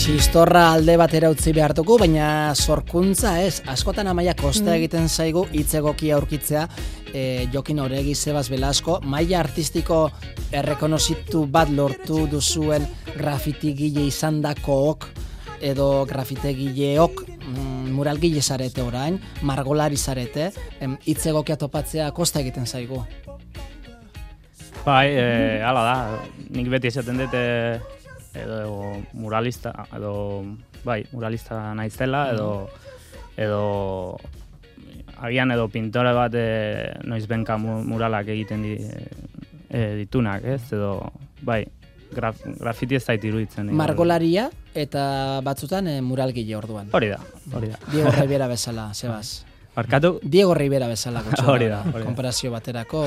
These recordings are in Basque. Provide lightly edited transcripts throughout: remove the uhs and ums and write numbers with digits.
Txistorra alde batera utzi behartuko, baina sorkuntza ez. Askotan Amaia kosta egiten zaigu hitz egokia aurkitzea. Jokin Oregi, Sebas Velasco, maila artistiko errekonozitu bat lortu duzuen grafitigile izandakook edo grafitegileok muralgile zarete orain, margolari zarete, hitz egokia topatzea kosta egiten zaigu. Bai, hala da, nik beti esaten dut edo muralista, muralista naizela, edo agian edo pintore bat noizbenka muralak egiten ditunak, ez? Edo, bai, grafiti ez zait iruditzen. Margolaria eta batzutan muralgile orduan. Hori da. Diego Rivera bezala, Sebas. Barkatu? Diego Rivera bezala gutxo. Hori da. Konparazio baterako,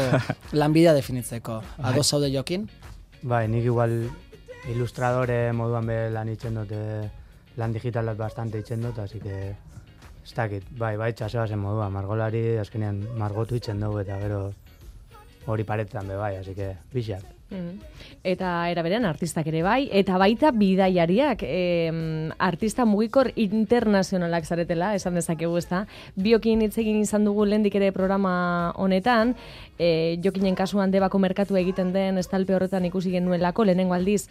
lanbidea definitzeko. Ados zaude Jokin? Bai, nik igual ilustradore moduan be lan itzen dut, lan digitalat bastante itzen dut, así que ez dakit, bai, txasebazen modua, margolari azkenean margotu itzen dugu eta gero hori paretan be bai, así que bixak. Eta eraberean artistak ere bai, eta baita bidaiariak, artista mugikor internazionalak zaretela, esan dezakegu ezta. Biokin hitz egin izan dugu lehendik ere programa honetan, Jokinen kasuan Debako merkatu egiten den estalpe horretan ikusi genuelako lehenengo aldiz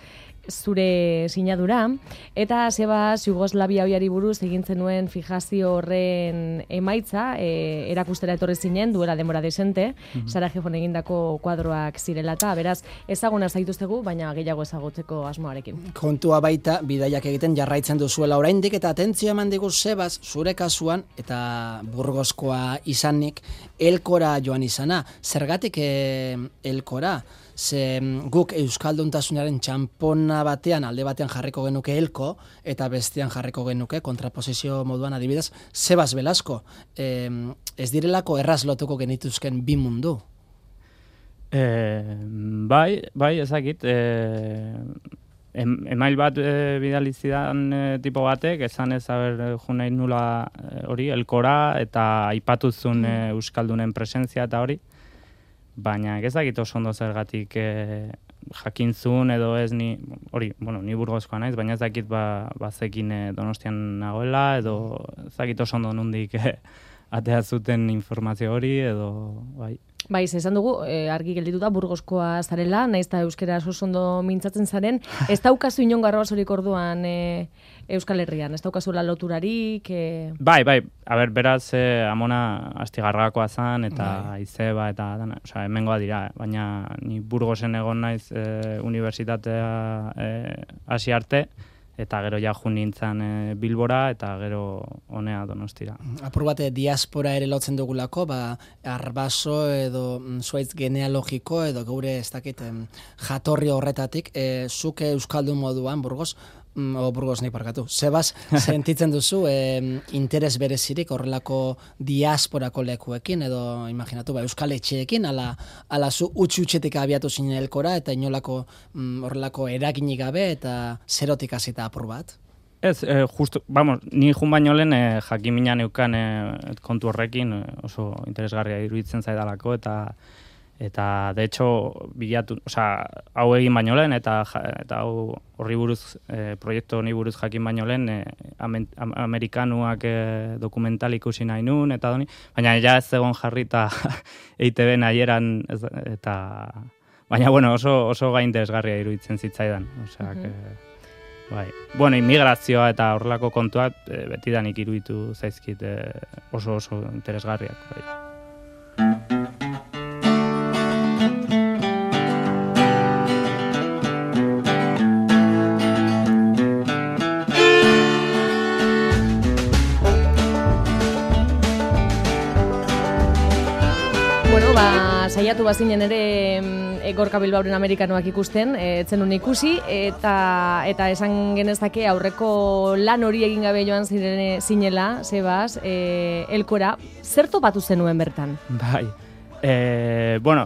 zure sinadura, eta Sebas Jugoslavia oiari buruz egin zenuen fijazio horren emaitza, erakustera etorri zinen, duela denbora desente, Sarajevon egindako kuadroak zirela eta, beraz, ezaguna zaituztegu, baina gehiago ezagutzeko asmoarekin. Kontua baita, bidaiak egiten jarraitzen duzuela oraindik, eta atentzio eman digu Sebas, zure kasuan, eta Burgoskoa izanik, Elkora joan izana. Zergatik Elkora? Ze guk euskalduntasunaren txanpona batean, alde batean jarriko genuke Elko, eta bestean jarriko genuke, kontraposizio moduan adibidez, Sebas Velasco. Ez direlako erraz lotuko genituzken bi mundu? Bai, ezakit. Email bat bidali zidan tipo batek, esan ez junain nula hori, Elkora, eta aipatuzun euskaldunen presentzia eta hori. Baina ezakit oso ondo zergatik jakintzun edo ez ni Burgoskoa naiz, baina ezakit bazekin Donostian nagoela, edo ezakit oso ondo nondik atea zuten informazio hori, edo bai. Bai, esan dugu, argi gelditu da Burgoskoa zarela, naiz eta euskera oso ondo mintzatzen zaren, ez daukazu inongo arrabasorik orduan Euskal Herrian, ez daukazuela loturarik? Bai, beraz, amona astigarrakoa zan, eta izeba, eta dana, osea, hemengoa dira, baina ni Burgosen egon naiz unibertsitatea hasi arte, eta gero ja jun nintzen Bilbora, eta gero honea Donostira. Apur bat diaspora ere lotzen dugulako, arbaso edo zuaitz genealogiko, edo geure ez dakit jatorri horretatik, zuk euskaldun moduan, Burgos nahi parkatu. Sebas, sentitzen duzu interes berezirik horrelako diasporako lekuekin, edo imaginatu, euskal etxeekin, ala zu utxetik abiatu zinen Elkora, eta inolako horrelako eraginik gabe, eta zerotik hasita apur bat? Ez, ni jun baino lehen jakimina neukan kontu horrekin, oso interesgarria iruditzen zaidalako, eta de hecho bilatu, hau egin baino lehen eta hau horri buruz proiektu honi buruz jakin baino lehen amerikanuak dokumental ikusi nahi nun eta doni, baina ja ez egon jarri eta EITB nahieran eta baina oso gai interesgarria iruditzen zitzaidan, bai. Immigrazioa eta horrelako kontuak betidanik iruditu zaizkit oso interesgarriak, bai. Saiatu bazinen ere Gorka Bilbaoren amerikanoak ikusten, etzenun ikusi, eta esan genezake aurreko lan hori egin gabe joan zinela, Sebas, Elkora, zer topatu zenuen bertan? Bai,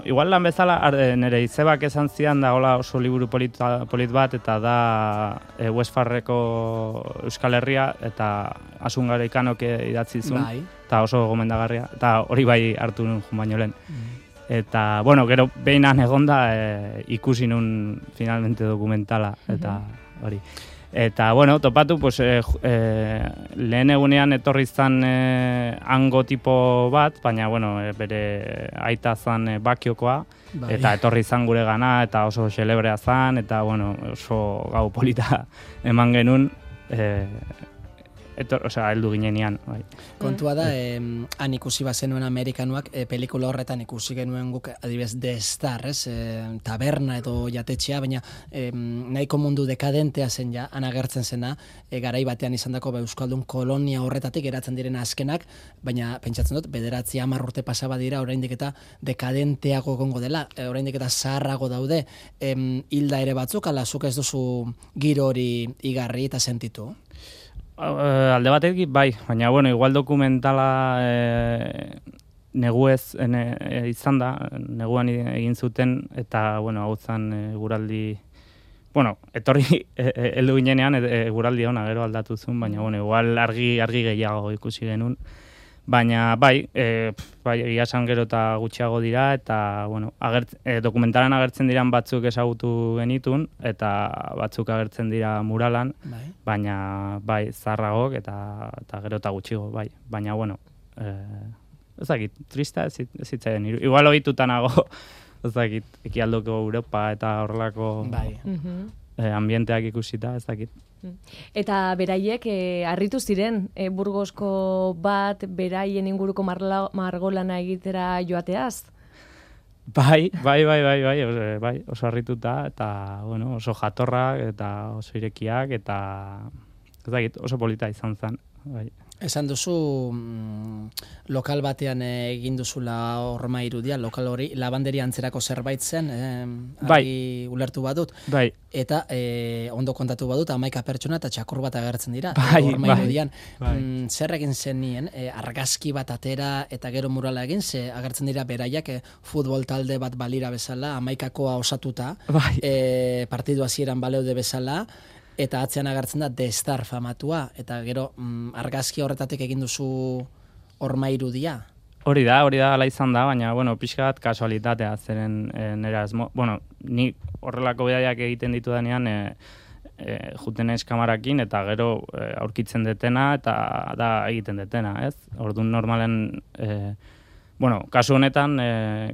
igual lan bezala, nire izebak esan zidan da hola oso liburu polit bat, eta da Westfarreko Euskal Herria, eta Asun Garaikanok idatzi zuen, eta oso gomendagarria, eta hori bai hartu nun jun baino lehen. Eta, gero behinan egonda ikusi nun finalmente dokumentala, eta hori. Eta, bueno, topatu, pues, lehen egunean etorri zan hango tipo bat, baina, bueno, bere aita zan bakiokoa, eta etorri zan gure gana, eta oso xelebrea zan, eta, bueno, oso gau polita eman genuen, heldu ginenean. Bai. Kontua da, han ikusi bazenuen Amerikanuak, pelikula horretan ikusi genuen guk, adibidez, The Star, taberna edo jatetxea, baina nahiko mundu dekadentea zen ja, han agertzen zena, garai batean izandako euskaldun kolonia horretatik geratzen diren azkenak, baina pentsatzen dut, 9-10 urte pasaba dira, oraindik eta dekadenteago gongo dela, oraindik eta zaharrago daude, hilda ere batzuk, ala zuk ez duzu giro hori igarri eta sentitu? Alde batetik, bai, baina, bueno, igual dokumentala neguez izan da, neguan egin zuten, eta, bueno, hau zan guraldi, bueno, etorri heldu ginenean guraldi hona gero aldatu zuen, baina, bueno, igual argi gehiago ikusi genuen, baina, bai, egia esan gero eta gutxiago dira, eta, bueno, dokumentalan agertzen diran batzuk ezagutu genitun, eta batzuk agertzen dira muralan, baina, bai, zaharragok, eta gero eta gutxiago, bai, baina, bueno, ez dakit, trista ez zitzaien, igual ohitutanago, ez dakit, ekialdoko Europa eta horrelako ambienteak ikusita, ez dakit. Eta beraiek harritu ziren Burgosko bat beraien inguruko margolana egitera joateaz? Bai, oso harrituta, eta, bueno, oso jatorrak, eta oso irekiak, eta, ez dakit, oso polita izan zen, bai. Esan duzu lokal batean egin duzula horma irudia, lokal hori labanderia antzerako zerbait zen, ulertu badut. Bai. Eta ondo kontatu badut, 11 pertsona eta txakur bat agertzen dira. Horma irudian. Zer egin zen nien, argazki bat atera eta gero murala egin, ze agertzen dira beraiak futbol talde bat balira bezala, 11koa osatuta, partidu hasieran baleude bezala, eta atzean agertzen da The Star famatua, eta gero argazki horretatik egin duzu horma irudia? Hori da, ala izan da, baina, bueno, pixka bat kasualitatea zeren nera asmo. Bueno, ni horrelako bidaiak egiten ditu denean, juten naiz kamarakin, eta gero aurkitzen detena, eta da egiten detena, ez? Orduan normalen... Bueno, kasu honetan,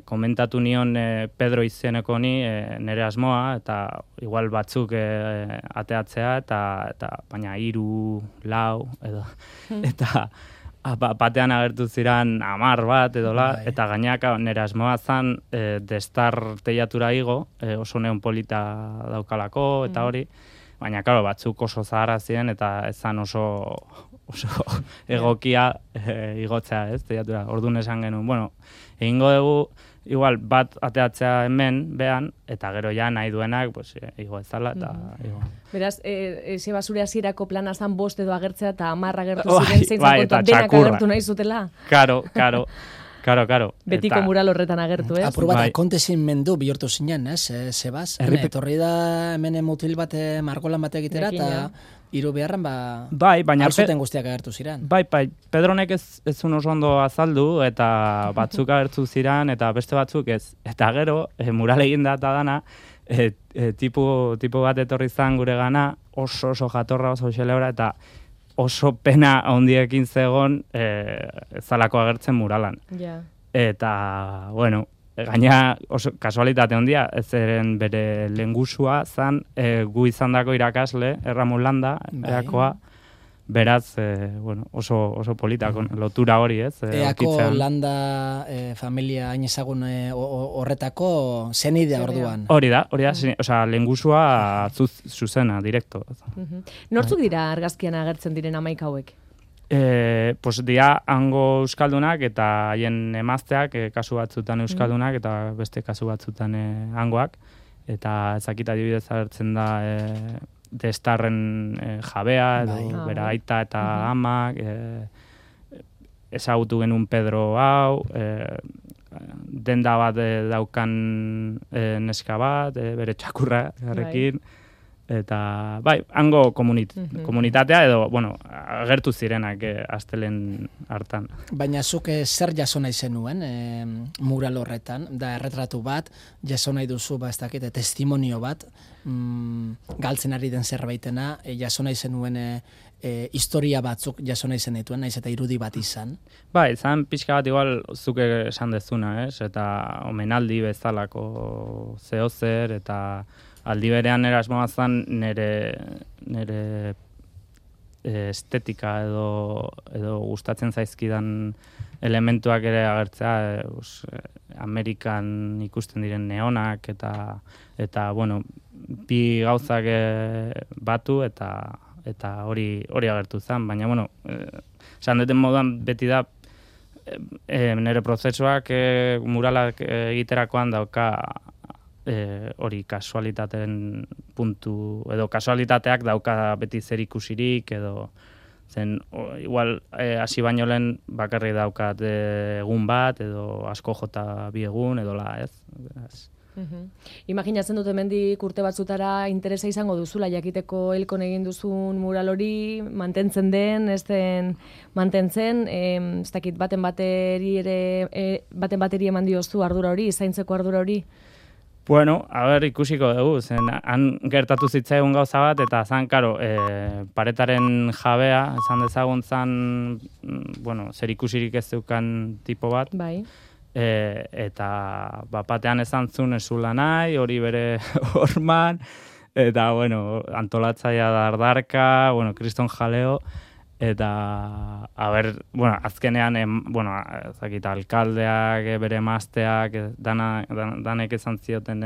komentatu nion Pedro izeneko ni nire asmoa, eta igual batzuk ateatzea, eta baina 3, 4, edo, eta batean agertu ziren 10 bat, edola, eta gainak nire asmoa zan The Star teiatura igo, oso neon polita daukalako, eta hori, baina, karo, batzuk oso zaharra ziren, eta ezan oso egokia igotzea, ez, teiatura. Orduan esan genuen, bueno, egingo dugu, igual, bat ateatzea hemen, behan, eta gero ja nahi duenak, pues, igo ezala, eta igo. Beraz, ze basure hasierako plana zan 5 edo agertzea, eta 10 agertu ziren, zeintzen kontuan denak agertu nahi zutela. Karo. Betiko mural horretan agertu, ez? Apur bat, akontezin mendu bihurtu zinen, ez, Sebas? Etorri da hemen mutil bat margolan bat egitera, eta hiru beharran, baina alzuten guztiak agertu ziren. Bai, Pedronek ez zuen oso ondo azaldu, eta batzuk agertu ziren, eta beste batzuk ez. Eta gero, mural egin da eta dana, tipo bat etorri zan gure gana, oso jatorra, oso xelebra, eta oso pena handiekin zegon zalako agertzen muralan. Eta, bueno, gaina oso kasualitate handia, ez eren bere lengusua zan gu izandako irakasle, Erramun Landa, erakoa, beraz, bueno, oso polita, lotura hori, ez? Eako Landa familia hain ezagun horretako zenidea orduan. Hori da, osea, lengusua zuzena, direkto. Nortzuk dira argazkian agertzen diren 11 hauek? Pues dia hango euskaldunak eta haien emazteak kasu batzutan euskaldunak eta beste kasu batzutan hangoak, eta ezakita adibidez agertzen da The Starren jabea edo bera aita eta amak, ezagutu genuen Pedro hau, denda bat daukan neska bat, bere txakurra garrekin, Eta, bai, hango komunitatea edo, bueno, agertu zirenak astelen hartan. Baina zuk zer jaso nahi zenuen mural horretan, da erretratu bat, jaso nahi duzu, ez dakit, testimonio bat, galtzen ari den zerbaitena, jaso nahi zenuen historia batzuk jaso nahi zenituen, naiz eta irudi bat izan. Bai, izan pixka bat igual zuk esan dezuna, eta omenaldi bezalako zehozer, eta aldi berean erasmoa zen nire estetika edo gustatzen zaizkidan elementuak ere agertzea, Amerikan ikusten diren neonak eta bueno, bi gauzak batu eta hori agertu zen, baina bueno, esan duten moduan beti da nire prozesuak muralak egiterakoan dauka hori kasualitateen puntu, edo kasualitateak dauka beti zer ikusirik, edo zen, igual, hasi baino lehen bakarrik daukat egun bat, edo asko jota bi egun, edo ez. Imaginatzen dut hemendik urte batzutara interesa izango duzula jakiteko Elkon egin duzun mural hori mantentzen den, ez den mantentzen, ez dakit baten bateri eman diozu ardura hori, zaintzeko ardura hori? Bueno, ikusiko dugu, zen han gertatu zitzaigun gauza bat, eta zan, karo, paretaren jabea, esan dezagun zan, bueno, zer ikusirik ez zeukan tipo bat. Bai. Eta batean esan zuen ezula nahi, hori bere horman, eta, bueno, antolatzaia dardarka, bueno, kriston jaleo, eta, bueno, azkenean, bueno, ezakita, alkaldeak, bere emazteak, danek esan zioten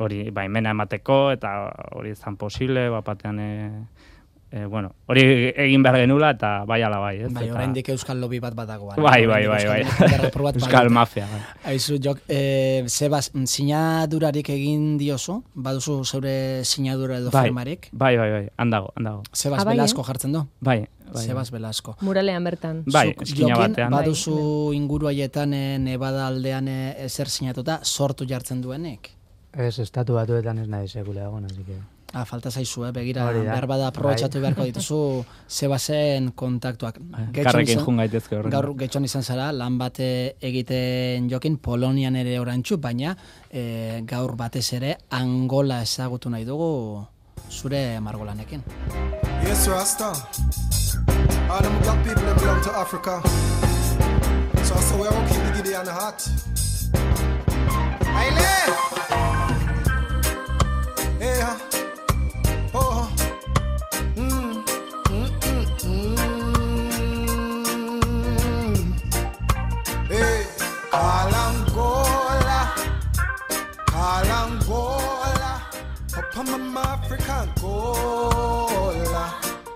hori baimena emateko, eta hori ezan posible, batean, bueno, hori egin behar genula, eta bai ala bai, ez? Bai, oraindik euskal lobby bat badagoan. Bai. Euskal mafia. Aizu, Jok, Sebas, sinadurarik egin diozu? Baduzu zeure sinadura edo firmarik? Bai, handago. Sebas Velasco jartzen du? Bai. Sebas Velasco. Muralean bertan. Bai, eskina batean. Baduzu inguru haietan Nevada aldean ezer sinatuta sortu jartzen duenek? Ez, estatu batuetan ez nahi sekula egon, así que... Falta zaizu, begira, behar bada aprobetxatu beharko dituzu Sebasen kontaktuak. Karrekin jun gaitezke horren. Gaur getxon izan zara, lan bat egiten Jokin, Polonian ere orantxu, baina gaur batez ere Angola ezagutu nahi dugu zure margolanekin. Yes, Rasta. All them black people that belong to Africa. So I say we are keep the giddy and the hot. Aile! Yeah. Oh. Hey, Kalangola. Upon my African Gola.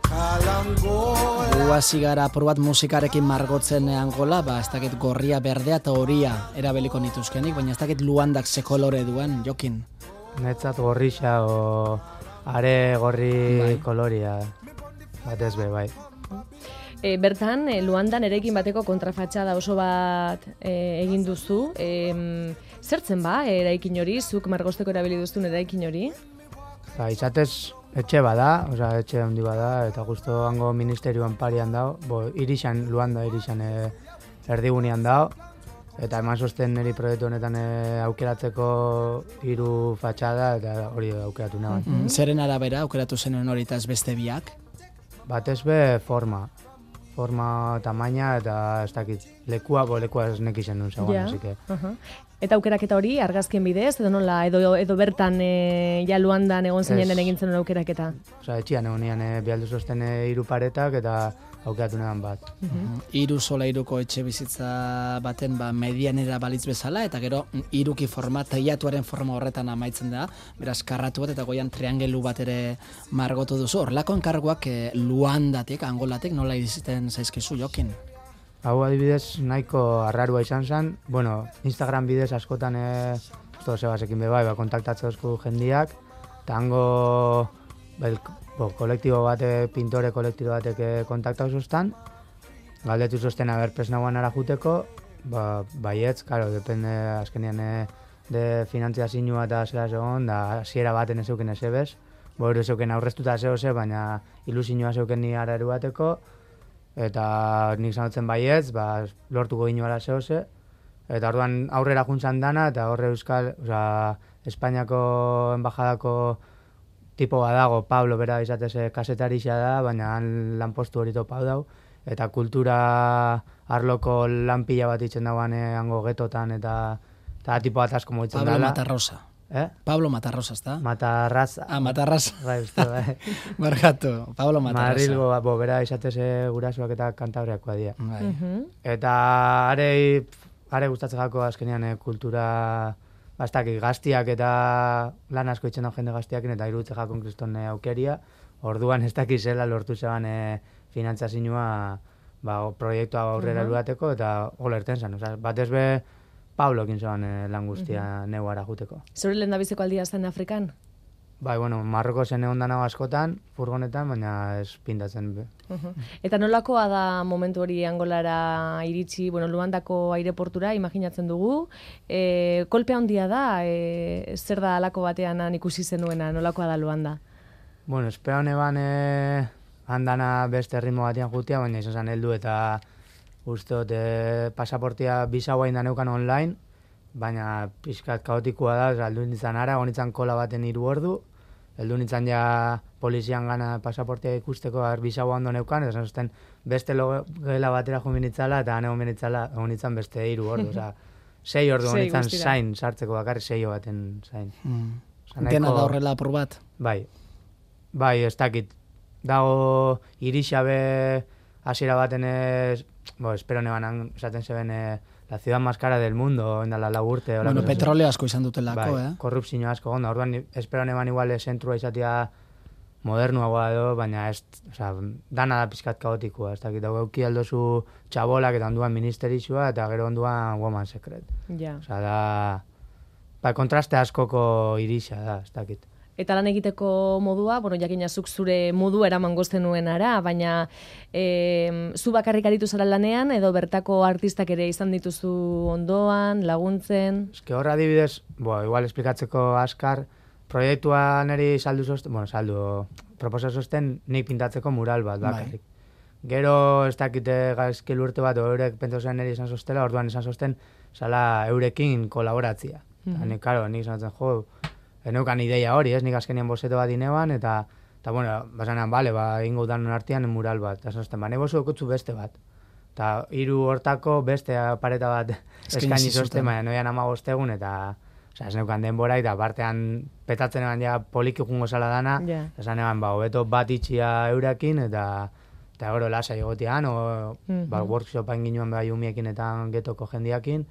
Kalangola. Hasi gara probat musikarekin margotzen Angola, ez dakit gorria, berdea eta horia erabeliko nituzkenik, baina ez dakit Luandak ze kolore duen, Jokin. Netzat gorrixa o are gorri koloria, batez be, bai. Bertan, Luandan erekin bateko kontrafatxada oso bat egin duzu. Zertzen eraikin hori, zuk margosteko erabili duzun eraikin hori? Izatez, etxe bada, etxe handi bada, eta justo hango ministerioan parian dao, irixan, Luanda irixan erdigunean dao, eta eman sosten niri proiektu honetan aukeratzeko 3 fatxada, eta hori aukeratu nahi. Zeren arabera aukeratu zenuen hori eta ez beste biak? Batez be forma, tamaina, eta ez dakit, lekua ez nekizien duen zegoen, así que... Eta aukeraketa hori argazkien bidez, edo nola, edo bertan ja Luandan egon zinen egin zenuen aukeraketa? Etxian egon nian bialdu zosten 3 paretak eta aukeratu negan bat. 3 sola 3ko etxe bizitza baten medianera balitz bezala, eta gero 3ki forma, teiatuaren forma horretan amaitzen da, beraz karratu bat eta goian triangelu bat ere margotu duzu. Horlako enkarguak Luandatik, Angolatik, nola iziten zaizkizu, Jokin? Hau adibidez nahiko arrarua izan zen, Instagram bidez askotan Sebasekin bebai, kontaktatzen duzku jendiak, eta hango kolektibo bate, pintore kolektibo batek kontaktau zuztan, galdetu zuzten presnagoan ara juteko, baietz, karo, depende azkenean de finantziazioa eta zera segon, da hasiera baten ez euken ez ebez, Boero zeuken aurreztuta zehose, baina ilusioa zeuken ni araru bateko, eta nik sanotzen baietz, lortuko ginoala zehose, eta orduan aurrera juntzan dana, eta horre Espainiako embajadako tipo badago, Pablo bera izateze kasetarixa da, baina han lanpostu hori topau dau, eta kultura arloko lanpila bat itzen dagoan hango getotan, eta tipo bat asko moitzen dela. Pablo Matarrosa. Pablo Matarrosa, ezta? Matarraza. Matarraza. Bai, uste, bai. Barkatu, Pablo Matarrosa. Madrilgo, bera izateze gurasoak eta kantabriakoa dira. Bai. Eta are gustatzen jako azkenean kultura gaztiak eta lan asko itzen jende gaztiakin eta iruditze jakon kriston aukeria. Orduan ez dakizela lortu zeban finantzazioa proiektua aurrera luateko eta hola erten zen. Batez be Pablokin zeban lan guztia neuara juteko. Zure lehen da biziko aldia zen Afrikan? Bai, Marroko zen egon danago askotan, furgonetan, baina ez pintatzen be. Eta nolakoa da momentu hori Angolara iritsi, Luandako aireportura, imaginatzen dugu. Kolpea handia da, zer da alako batean ikusi zenuena, nolakoa da Luanda? Espera honeban handana beste ritmo batean jutia, baina izan zen heldu eta usteot pasaportia bisaua inda neukan online, baina pixkat kaotikoa da, heldu nintzen ara, honitzen kola baten 3 ordu, heldu nintzen ja polizian gana pasaportia ikusteko bisaua ondo neukan, eta zazten beste logela batera jo minitzala, eta hane honitzen beste 3 ordu, 6 ordu honitzen zain, sartzeko bakarri 6 baten zain. Dena da horrela apur bat? Bai, ez dakit. Dago irixabe hasiera baten espero neban esaten zeben la ciudad más cara del mundo, endala 4 urte. Petroleo asko izan dutelako, korrupzio asko gonda. Orduan, espero neban igual zentrua izatea modernuagoa edo, baina dana da pizkat kaotikoa. Ez dakit, dago euki aldozu txabolak eta onduan ministerizua eta gero onduan woman secret. Ja. Kontraste askoko irixa da, ez dakit. Eta lan egiteko modua, jakinazuk zure modu eraman gozten nuen ara, baina zu bakarrik aritu zara lanean, edo bertako artistak ere izan dituzu ondoan, laguntzen? Eske horra adibidez, igual esplikatzeko askar, proiektuan eri proposa zosten nik pintatzeko mural bat bakarrik. Gero ez dakite gaizkil urte bat, eurek pentsozen eri izan zostela, orduan izan zosten, zala eurekin kolaboratzia. Nik zanatzen eneukan ideia hori, nik azkenien bozeto bat ineban, eta basanean, ingo danon artean mural bat. Eta zazten, nahi bozu okutzu beste bat. Eta 3 hortako beste pareta bat eskaini zozten, noian 15 egun, eta ez neukan denbora, eta partean petatzen eban ja poliki jungo zala dana, esan eban, hobeto bat itxia eurekin, eta gero lasa egotean, workshopa inginuan behar umiekin eta getoko jendiakin,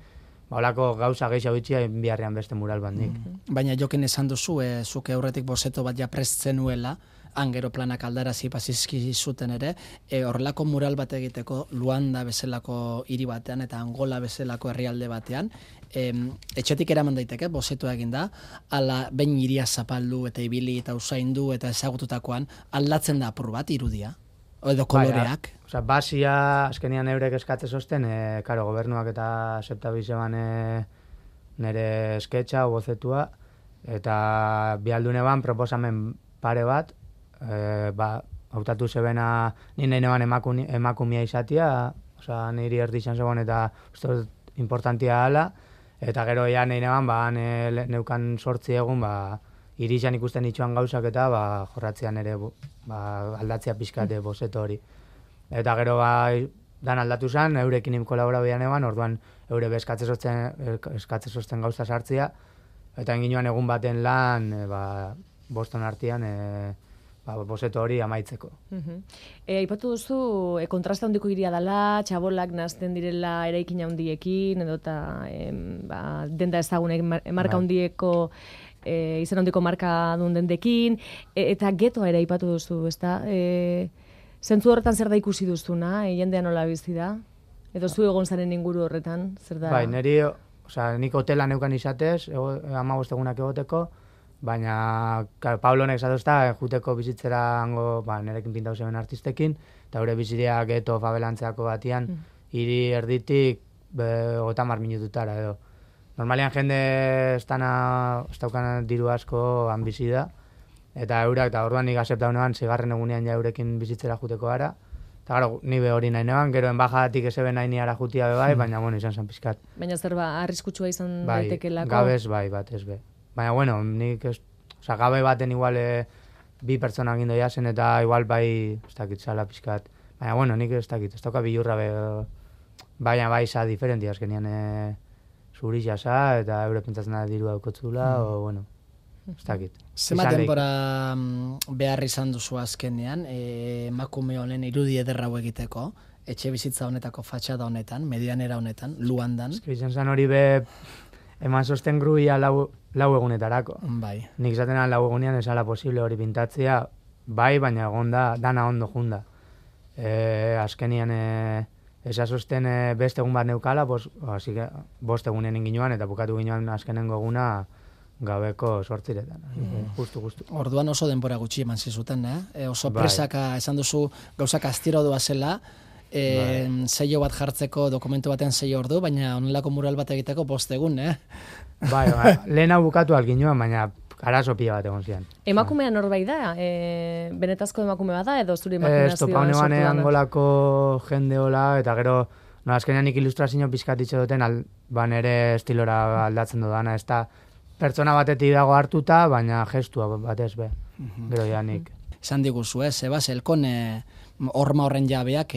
holako gauza gehiago bitxia biharrean beste mural bat nik. Baina jokin esan duzu, zuke aurretik bozeto bat ja prestzen nuela, angero planak aldarazi pasizki zuten ere, horrelako mural bat egiteko Luanda bezalako hiri batean eta Angola bezalako herrialde batean, etxetik eraman daiteke, bozeto egin da, ala behin hiria zapaldu eta ibili eta usaindu eta ezagututakoan, aldatzen da apur bat irudia, edo koloreak. Basia, azkenian eurek eskatze zozten, gobernuak eta septabizeban nire sketcha, bozetua, eta bialdune ban proposamen pare bat, hautatu zebena nire neban emakumia izatia, niri erdizan zegoen eta importantia ala, eta gero ja nire neban, neukan 8 egun, irizan ikusten itxuan gauzak eta jorratzean ere aldatzea pixkate bozeto hori. Eta gero dan aldatu zen, eurekin kolaborabian eban, orduan eure eskatze zozten gauza sartzea, eta enginuan egun baten lan Boston artean bozeto hori amaitzeko. Aipatu duzu, kontrasta handiko hiria dela, txabolak nazten direla eraikin handiekin, edo eta denda ezagunek marka handieko izan handiko marka duen dendekin, eta getoa ere aipatu duzu, ezta? Zentzu horretan zer da ikusi duzuna, jendean nola bizi da? Edo zu egon zaren inguru horretan, zer da? Bai, nik hotela neukan izatez, 15 egunak egoteko, baina Pablo honek zatozta, juteko bizitzera hango, nerekin pintau zeben artistekin, eta gure biziria geto fabelantzeako batian, hiri erditik 30 minututara edo. Normalian jende ez daukan diru asko bizi da, Eta eurak, eta orduan nik aseptau neban, zigarren egunean ja eurekin bizitzera juteko gara. Eta gara, ni be hori nahi neban, gero enbajatik eze nahi niara jutia be bai, baina bueno, izan zen pizkat. Baina zer arriskutsua izan Bai, daitekelako? gabez bai, bat ez be. Baina bueno, nik ez, oza, gabe baten igual bi pertsona gindo jasen eta igual bai, ez dakit, zala pizkat. Baina bueno, nik ez dakit, ez dauka bilurra be, baina bai za diferenti azkenian zuri jasa eta eure pentsatzen da diru daukotzula, o bueno, ez dakit. Zenbat denbora behar izan duzu azkenean, emakume honen irudi ederra hau egiteko, etxe bizitza honetako fatxada honetan, medianera honetan, Luandan. Izan zen hori be, eman sosten gruia lau egunetarako. Bai. Nik izaten lau egunean esala posible hori pintatzea, bai, baina egon da, dana ondo junda. Azkenian esasosten beste egun bat neukala, bost egunen inginuan, eta bukatu ginuan azkenengo eguna gabeko 8:00. Justu. Orduan oso denbora gutxi eman zizuten, oso Bai. presaka esan duzu gauzak astiro doa zela, sello bat jartzeko dokumentu baten 6 ordu, baina honelako mural bat egiteko 5 egun, Bai, lehena bukatu alginuan, baina arazo pila bat egon zian. Emakumea norbait da? Benetazko emakume bat da edo zuri imaginazioa sortu Topaune da? banean angolako jende hola, eta gero, no, azkenean nik ilustrazio pizkatitxe duten, nere estilora aldatzen dudana, ez da pertsona batetik dago hartuta, baina gestua batez be. Gero ja nik. Esan diguzu, Sebas, elkon horma horren jabeak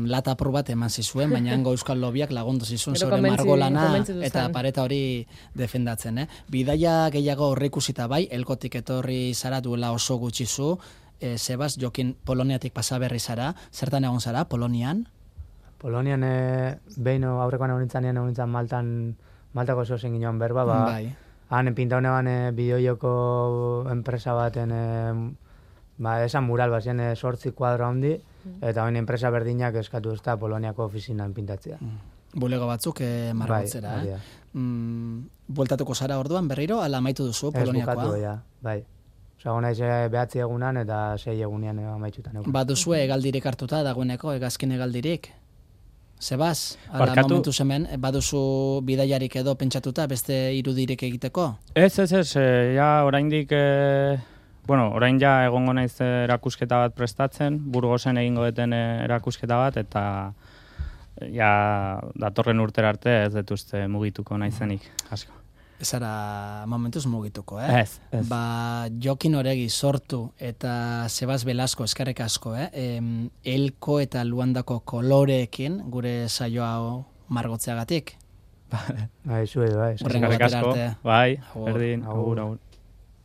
lata apur bat eman zizuen, baina hango euskal lobiak lagundu zizun Gero zure margolana konbentzitu eta zen. pareta hori defendatzen. Bidaia gehiago horrikusita bai, elkotik etorri zara duela oso gutxizu, Sebas, jokin Poloniatik pasaberri zara, zertan egon zara, Polonian? Polonian behin aurrekoan egon nintzen Maltako zozen ginoan berba, Bai. han pintaune ban bideojoko enpresa baten, esan mural bat ziren 8 kuadro handi, eta bain enpresa berdinak eskatu ez da Poloniako ofizinan pintatzea. Bulego batzuk margotzera, Bai, bueltatuko zara orduan berriro, ala amaitu duzu Poloniakoa? Ez bukatu, ja, bai. Osa, naiz 9 egunan eta 6 egunean amaitzutan. Baduzue hegaldirik hartuta dagoeneko, hegazkin hegaldirik? Sebas, ala Barkatu. momentu hemen, baduzu bidaiarik edo pentsatuta beste irudirik egiteko? Ez, ja oraindik, orain ja egongo naiz erakusketa bat prestatzen, Burgosen egingo deten erakusketa bat, eta ja datorren urtera arte ez dut uste mugituko naizenik, asko. Ez ara momentuz mugituko, Ez. Jokin Oregi sortu eta Sebas Velasco eskerrik asko, Elko eta Luandako koloreekin gure saioa margotzeagatik. Bai, zuedo, bai. Hurrengo Eskerrik batera asko, arte. bai, Agur. berdin, agur.